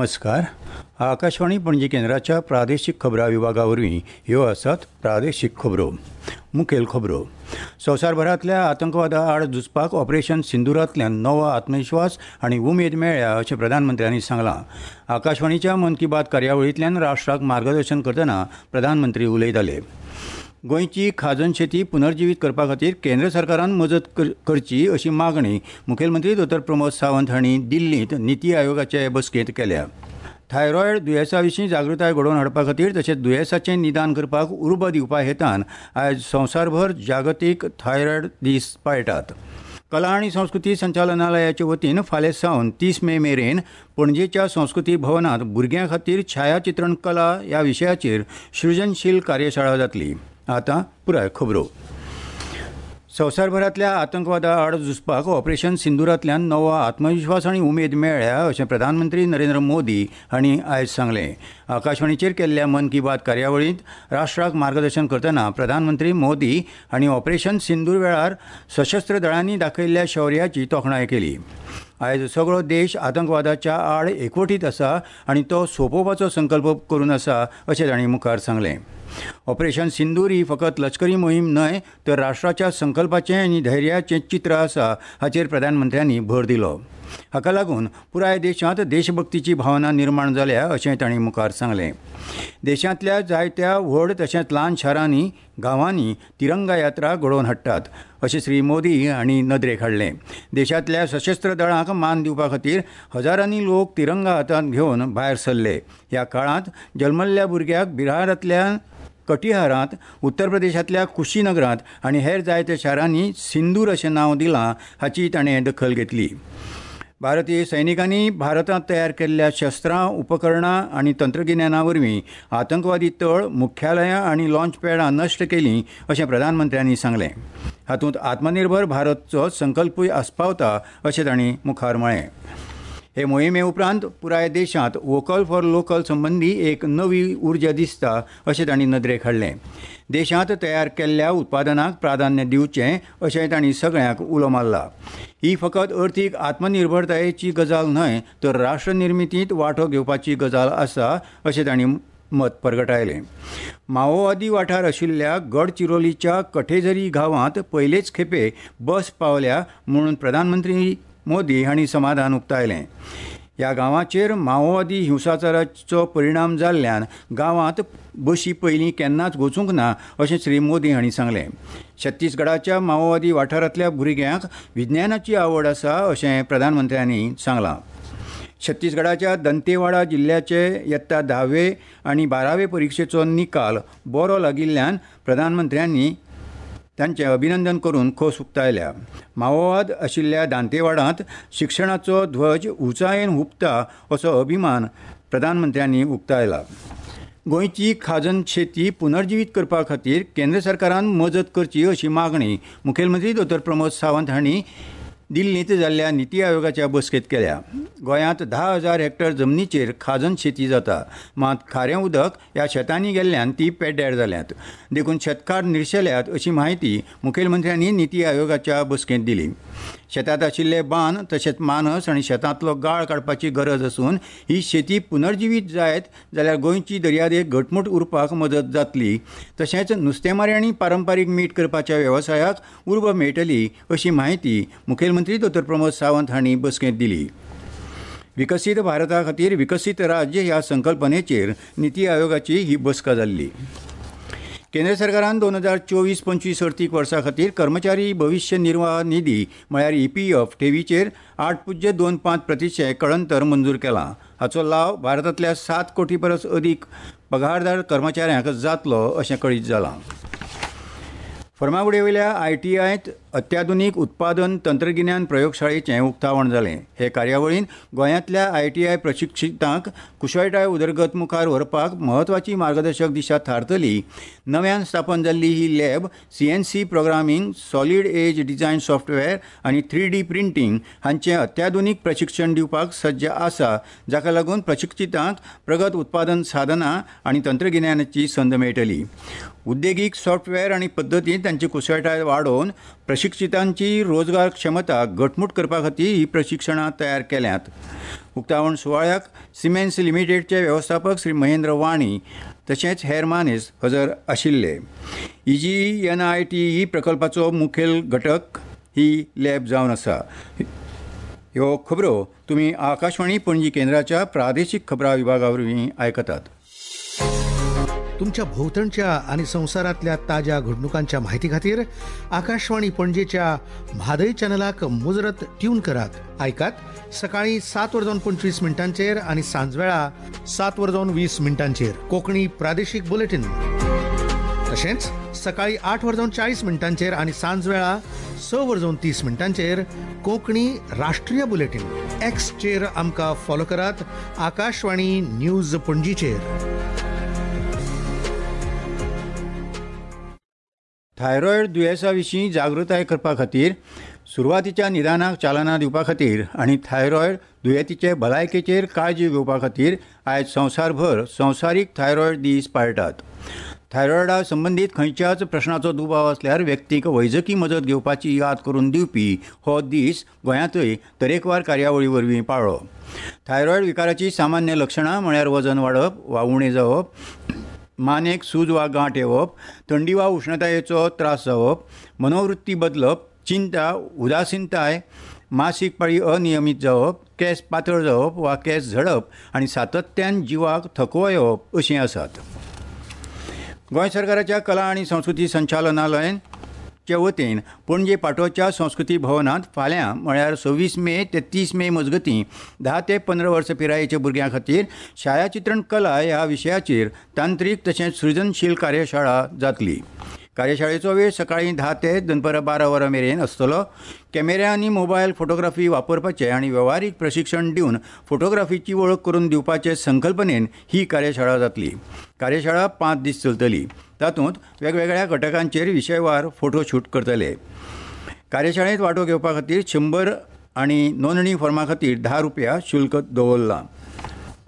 नमस्कार. आकाशवाणी पणजी केंद्राच्या प्रादेशीक खबरां विभागा वरवीं ह्यो आसात प्रादेशीक खबरो. मुखेल खबरो. संवसारभरांतल्या आतंकवादा आड झुजपाक ऑपरेशन सिंदुरांतल्यान नवो आत्मविश्वास आनी उमेद मेळ्ळ्या अशें प्रधानमंत्र्यांनी सांगलां. आकाशवाणीच्या मन की बात कार्यावळींतल्यान राष्ट्राक मार्गदर्शन करतना प्रधानमंत्री उलयताले. गोंयची खाजन शेती पुनर्जिवीत करपा खातीर केंद्र सरकारान मजत करची अशी मागणी मुखेलमंत्री दोतोर प्रमोद सावंत हांणी दिल्लींत निती आयोगाचे बसकेंत केल्या. थायरॉयड दुयेंसा विशीं जागृताय घडोवन हाडपा खातीर तशेंच दुयेंसाचें निदान करपाक उर्बा दिवपा हेतान आयज संवसारभर जागतीक थायरॉयड दीस पाळटात. कला आनी संस्कृती संचालनालयाचे वतीन फाल्यां सावन 30 मे मेरेन पणजेच्या संस्कृती भवनांत भुरग्यां खातीर छायाचित्रण कला ह्या विशयाचेर सृजनशील कार्यशाळा जातली. आतां पुराय खबरो. संवसारभरांतल्या आतंकवादा आड झुजपाक ऑपरेशन सिंदुरांतल्यान नवो आत्मविश्वास आनी उमेद मेळ्ळ्या अशें प्रधानमंत्री नरेंद्र मोदी हांणी आयज सांगलें. आकाशवाणीचेर केल्ल्या मन की बात कार्यावळींत राष्ट्राक मार्गदर्शन करतना प्रधानमंत्री मोदी हांणी ऑपरेशन सिंदूर वेळार सशस्त्र दळांनी दाखयल्ल्या शौर्याची तोखणाय केली. आयज सगळो देश आतंकवादाच्या आड एकवटीत आसा आनी तो सोंपोवपाचो संकल्प करून आसा अशें तांणी मुखार सांगलें. ऑपरेशन सिंदूर ही फकत लश्करी मोहीम न्हय तर राष्ट्राच्या संकल्पाचें आनी धैर्याचें चित्र आसा हाचेर प्रधानमंत्र्यांनी भर दिलो. हाका लागून पुराय देशांत देशभक्तीची भावना निर्माण जाल्या अशें तांणी मुखार सांगलें. देशांतल्या जायत्या व्हड तशेंच ल्हान शारांनी गांवांनी तिरंगा यात्रा घडोवन हाडटात अशें श्री मोदी हांणी नदरेक हाडलें. देशांतल्या सशस्त्र दळांक मान दिवपा खातीर हजारांनी लोक तिरंगा हातांत घेवन भायर सरले. ह्या काळांत जल्मल्ल्या भुरग्याक बिहारांतल्या कटिहारांत, उत्तर प्रदेशांतल्या कुशीनगरांत आनी हेर जायत्या शारांनी सिंदूर अशें नांव दिलां हाची ताणें दखल घेतली. भारतीय सैनिकांनी भारतांत तयार केल्ल्या शस्त्रां, उपकरणां आनी तंत्रगिन्याना वरवीं आतंकवादी तळ, मुख्यालयां आनी लॉन्च पॅडां नश्ट केलीं अशें प्रधानमंत्र्यांनी सांगलें. हातूंत आत्मनिर्भर भारतचो संकल्पूय आस्पावता अशें तांणी मुखार म्हळें. हे मोहिमे उपरांत पुराय देशांत वोकल फॉर लोकल संबंदी एक नवी उर्जा दिसता अशें तांणी नदरेक हाडलें. देशांत तयार केल्ल्या उत्पादनाक प्राधान्य दिवचें अशें तांणी सगळ्यांक उलो मारला. ही फकत अर्थीक आत्मनिर्भरतायेची गजाल न्हय तर राष्ट्रनिर्मितींत वांटो घेवपाची गजाल आसा अशें तांणी मत परगटायलें. माओवादी वाठार आशिल्ल्या गडचिरोलीच्या कठेझरी गांवांत पयलेच खेपे बस पावल्या म्हणून प्रधानमंत्री मोदी हांणी समाधान उक्तायलें. ह्या गांवाचेर माओवादी हिंसाचाराचो परिणाम जाल्ल्यान गांवांत बशी पयलीं केन्नाच वचूंक ना अशें श्री मोदी हांणी सांगलें. छत्तीसगडाच्या माओवादी वाठारांतल्या भुरग्यांक विज्ञानाची आवड आसा अशें प्रधानमंत्र्यांनी सांगलां. छत्तीसगडाच्या दंतेवाडा जिल्ल्याचे यत्ता 10वे आनी 12वे परिक्षेचो निकाल बरो लागिल्ल्यान प्रधानमंत्र्यांनी तांचें अभिनंदन करून खोस उक्तायल्या. माओवाद आशिल्ल्या दांतेवाडांत शिक्षणाचो ध्वज उंचायेन हुपता असो अभिमान प्रधानमंत्र्यांनी उक्तायला. गोंयची खाजन शेती पुनर्जिवीत करपा खातीर केंद्र सरकारान मजत करची अशी मागणी मुखेलमंत्री दोतोर प्रमोद सावंत हांणी दिल्लींत जाल्ल्या निती आयोगाच्या बसकेंत केल्या. गोंयांत 10,000 हेक्टर जमनीचेर खाजन शेती जाता, मात खारें उदक ह्या शेतांनी गेल्ल्यान ती पेड्ड्यार जाल्यात, देखून शेतकार निर्शेल्यात अशी म्हायती मुखेलमंत्र्यांनी निती आयोगाच्या बसकेंत दिली. शेतांत आशिल्ले बांद तशेंच मानस आनी शेतांतलो गाळ काडपाची गरज आसून ही शेती पुनर्जिवीत जायत जाल्यार गोंयची दर्यादेग घटमूट उरपाक मदत जातली, तशेंच नुस्तेमारी आनी पारंपारीक मीठ करपाच्या वेवसायाक उर्बा मेळटली अशी म्हायती मुखेलमंत्री दोतोर प्रमोद सावंत हांणी बसकेंत दिली. विकसीत भारता खातीर विकसीत राज्य ह्या संकल्पनेचेर निती आयोगाची ही बसका जाल्ली. केंद्र सरकारान 2024-25 अर्थीक वर्सा खातीर कर्मचारी भविश्य निर्वाह निधी म्हळ्यार ईपीएफ ठेवीचेर 8.25% कळंतर मंजूर केलां. हाचो लाव भारतांतल्या 7 कोटी परस अदीक पगारदार कर्मचाऱ्यांक जातलो अशें कळीत जालां. फर्मागुडयेवयल्या आयटीआयत अत्याधुनीक उत्पादन तंत्रगिन्यान प्रयोगशाळेचें उक्तावण जालें. हे कार्यावळीन गोंयांतल्या आयटीआय प्रशिक्षितांक कुशळटाय उदरगत मुखार व्हरपाक म्हत्वाची मार्गदर्शक दिशा थारतली. नव्यान स्थापन जाल्ली ही lab CNC programming, solid edge design software आनी 3D printing हांचें अत्याधुनीक प्रशिक्षण दिवपाक सज्ज आसा, जाका लागून प्रशिक्षितांक प्रगत उत्पादन साधनां आनी तंत्रगिन्यानाची संद मेळटली. उद्देगीक सॉफ्टवेअर आनी पद्दतींत तांची कुशळटाय वाडोवन प्रशिक्षितांची रोजगार क्षमता घटमूट करपा खातीर ही प्रशिक्षणां तयार केल्यांत. उक्तावण सुवाळ्याक सिमेन्स लिमिटेडचे वेवस्थापक श्री महेंद्र वाणी तशेंच हेर मानेस हजर आशिल्ले. EGNITE प्रकल्पाचो मुखेल घटक ही लॅब जावन आसा. ह्यो खबरो तुमी आकाशवाणी पणजी केंद्राच्या प्रादेशीक खबरां विभागा वरवीं आयकतात. तुमच्या भोंवतणच्या आनी संवसारांतल्या ताज्या घडणुकांच्या म्हायती खातीर आकाशवाणी पणजेच्या म्हादय चॅनलाक मुजरत ट्यून करात. आयकात सकाळीं 7:25 आनी सांजवेळा 7:20 कोंकणी प्रादेशीक बुलेटीन. तशेंच सकाळीं 8:40 आनी सांजवेळा 6:30 कोंकणी राष्ट्रीय बुलेटीन. एक्सचेर आमकां फॉलो करात आकाशवाणी न्यूज पणजीचेर. थायरॉयड दुयेंसा विशीं जागृताय करपा खातीर, सुरवातीच्या निदानाक चालना दिवपा खातीर आनी थायरॉयड दुयेंतीचे भलायकेचेर काळजी घेवपा खातीर आयज संवसारभर संवसारीक थायरॉयड दीस पाळटात. थायरॉयडा संबंदीत खंयच्याच प्रश्नाचो दुबाव आसल्यार व्यक्तीक वैजकी मजत घेवपाची याद करून दिवपी हो दीस गोंयांतय तरेकवार कार्यावळी वरवीं पाळ्ळो. थायरॉयड विकाराची सामान्य लक्षणां म्हळ्यार वजन वाडप वा उणें जावप, मानेक सूज वा गांठ येवप, थंडी वा उश्णतायेचो त्रास जावप, मनोवृत्ती बदलप, चिंता, उदासीनताय, मासीक पाळी अनियमीत जावप, केंस पातळ जावप वा केंस झडप आनी सातत्यान जिवाक थकवो येवप अशीं आसात. गोंय सरकाराच्या कला आनी संस्कृती संचालनालयाचे वतीन पणजे पाटोच्या संस्कृती भवनांत फाल्यां म्हळ्यार 26 मे ते 30 मे मजगतीं 10 ते 15 वर्सां पिरायेच्या भुरग्यां खातीर छायाचित्रण कला ह्या विशयाचेर तांत्रीक तशेंच सृजनशील कार्यशाळा जातली. कार्यशाळेचो वेळ सकाळीं 10 ते दनपरां 12 वरां मेरेन आसतलो. कॅमेरा आनी मोबायल फोटोग्राफी वापरपाचें आनी वेव्हारीक प्रशिक्षण दिवन फोटोग्राफीची वळख करून दिवपाचे संकल्पनेन ही कार्यशाळा जातली. कार्यशाळा 5 दीस चलतली. तातूंत वेगवेगळ्या घटकांचेर विशयवार फोटोशूट करतले. कार्यशाळेंत वांटो घेवपा खातीर 100 आनी नोंदणी फॉर्मा खातीर 10 रुपया शुल्क दवरलां.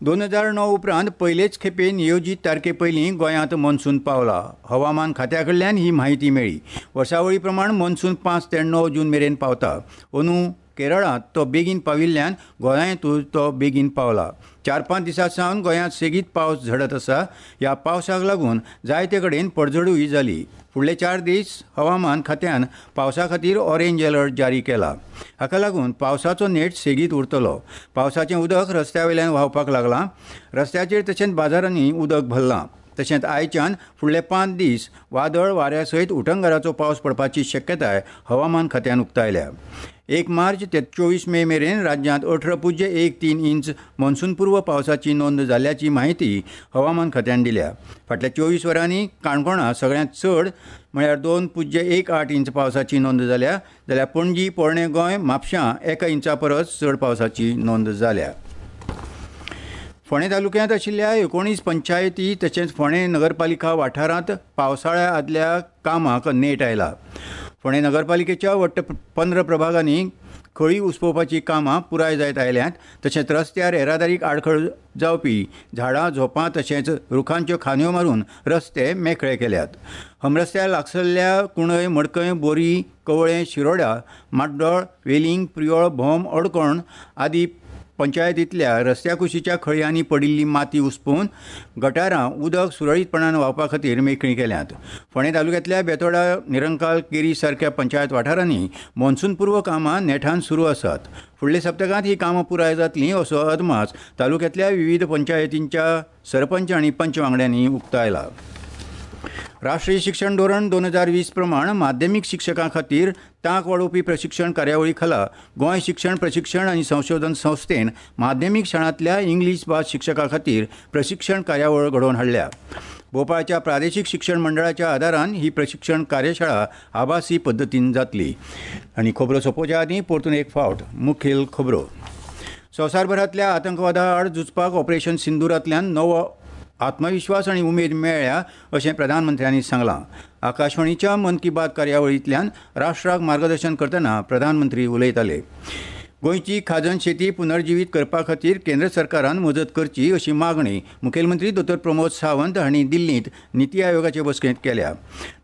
2009 उपरांत पयलेच खेपे नियोजीत तारखे पयलीं गोंयांत मॉन्सून पावला. हवामान खात्या कडल्यान ही म्हायती मेळ्ळी. वर्सावळी प्रमाण मॉन्सून 5 ते 9 जून मेरेन पावता. अंदू केरळांत तो बेगीन पाविल्ल्यान गोंयांतूय तो बेगीन पावला. 4-5 दिसां सावन गोंयांत सेगीत पावस झडत आसा. ह्या पावसाक लागून जायते कडेन पडझडूय जाली. फुडले 4 दीस हवामान खात्यान पावसा खातीर ऑरेंज अलर्ट जारी केला. हाका लागून पावसाचो नेट सेगीत उरतलो. पावसाचें उदक रस्त्या वयल्यान व्हांवपाक लागलां. रस्त्याचेर तशेंच बाजारांनी उदक भरलां. तशेंच आयच्यान फुडले 5 दीस वादळ वाऱ्या सयत उटंगाराचो पावस पडपाची शक्यताय हवामान खात्यान उक्तायल्या. 1 मार्च ते 24 मे मेरेन राज्यांत 18.13 इंच मॉन्सूनपूर्व पावसाची नोंद जाल्ल्याची म्हायती हवामान खात्यान दिल्या. फाटल्या 24 वरांनी काणकोणां सगळ्यांत चड म्हळ्यार 2.18 इंच पावसाची नोंद जाल्या, जाल्यार पणजी, पोरणें गोंय, म्हापशां 1 इंचा परस चड पावसाची नोंद जाल्या. फोंडें तालुक्यांत आशिल्ल्या 19 पंचायती तशेंच फोंडें नगरपालिका वाठारांत पावसाळ्या आदल्या कामाक नेट आयला. फोंडें नगरपालिकेच्या वट्ट 15 प्रभागांनी खळी उसपोवपाची कामां पुराय जायत आयल्यांत. तशेंच रस्त्यार येरादारीक आडखळ जावपी झाडां, झोपां तशेंच रुखांच्यो खांदयो मारून रस्ते मेकळे केल्यात. हमरस्त्या लागसल्ल्या कुणय, मडकय, बोरी, कवळें, शिरोडा, माड्डोळ, वेलिंग, प्रियोळ, भोम, अडकोण आदी पंचायतींतल्या रस्त्या कुशीच्या खळयांनी पडिल्ली माती उसपोवन गटारां उदक सुरळीतपणान व्हांवपा खातीर मेकळीं केल्यांत. फोंडें तालुक्यांतल्या बेतोडा, निरंकाल, केरी सारक्या पंचायत वाठारांनी मॉन्सूनपूर्व कामां नेटान सुरू आसात. फुडल्या सप्तकांत ही कामां पुराय जातलीं असो अदमास तालुक्यांतल्या विविध पंचायतींच्या सरपंच आनी पंच वांगड्यांनी उक्तायला. राष्ट्रीय शिक्षण धोरण 2020 प्रमाण माध्यमीक शिक्षकां खातीर तांक वाडोवपी प्रशिक्षण कार्यावळी खाला गोंय शिक्षण प्रशिक्षण आनी संशोधन संस्थेन माध्यमीक शाळांतल्या इंग्लीश भास शिक्षकां खातीर प्रशिक्षण कार्यावळ घडोवन हाडल्या. भोपाळच्या प्रादेशीक शिक्षण मंडळाच्या आदारान ही प्रशिक्षण कार्यशाळा आभासी पद्दतीन जातली. आनी खबरो सोंपोवच्या आदीं परतून एक फावट मुखेल खबरो. संवसारभरांतल्या आतंकवादा आड झुजपाक ऑपरेशन सिंदूरांतल्यान नवो आत्मविश्वास आनी उमेद मेळ्ळ्या अशें प्रधानमंत्र्यांनी सांगलां. आकाशवाणीच्या मन की बात कार्यावळींतल्यान राष्ट्राक मार्गदर्शन करतना प्रधानमंत्री उलयताले. गोंयची खाजन शेती पुनर्जिवीत करपा खातीर केंद्र सरकारान मजत करची अशी मागणी मुखेलमंत्री दोतोर प्रमोद सावंत हांणी दिल्लींत निती आयोगाचे बसकेंत केल्या.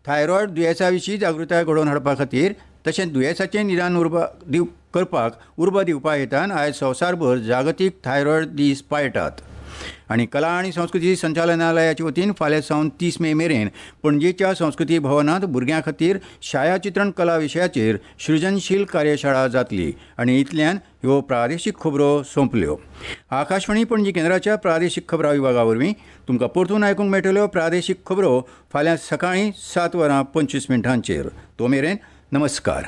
थायरॉयड दुयेंसा विशीं जागृताय घडोवन हाडपा खातीर तशेंच दुयेंसाचें निदान उर्बा करपाक उर्बा दिवपा हेतान आयज संवसारभर जागतीक थायरॉयड दीस पाळटात. आनी कला आनी संस्कृती संचालनालयाचे वतीन फाल्यां सावन 30 मे मेरेन पणजेच्या संस्कृती भवनांत भुरग्यां खातीर छायाचित्रण कला विशयाचेर सृजनशील कार्यशाळा जातली. आनी इतल्यान ह्यो प्रादेशीक खबरो सोंपल्यो. आकाशवाणी पणजी केंद्राच्या प्रादेशीक खबरां विभागा वरवीं तुमकां परतून आयकूंक मेळटल्यो प्रादेशीक खबरो फाल्यां सकाळीं 7:25. तो मेरेन नमस्कार.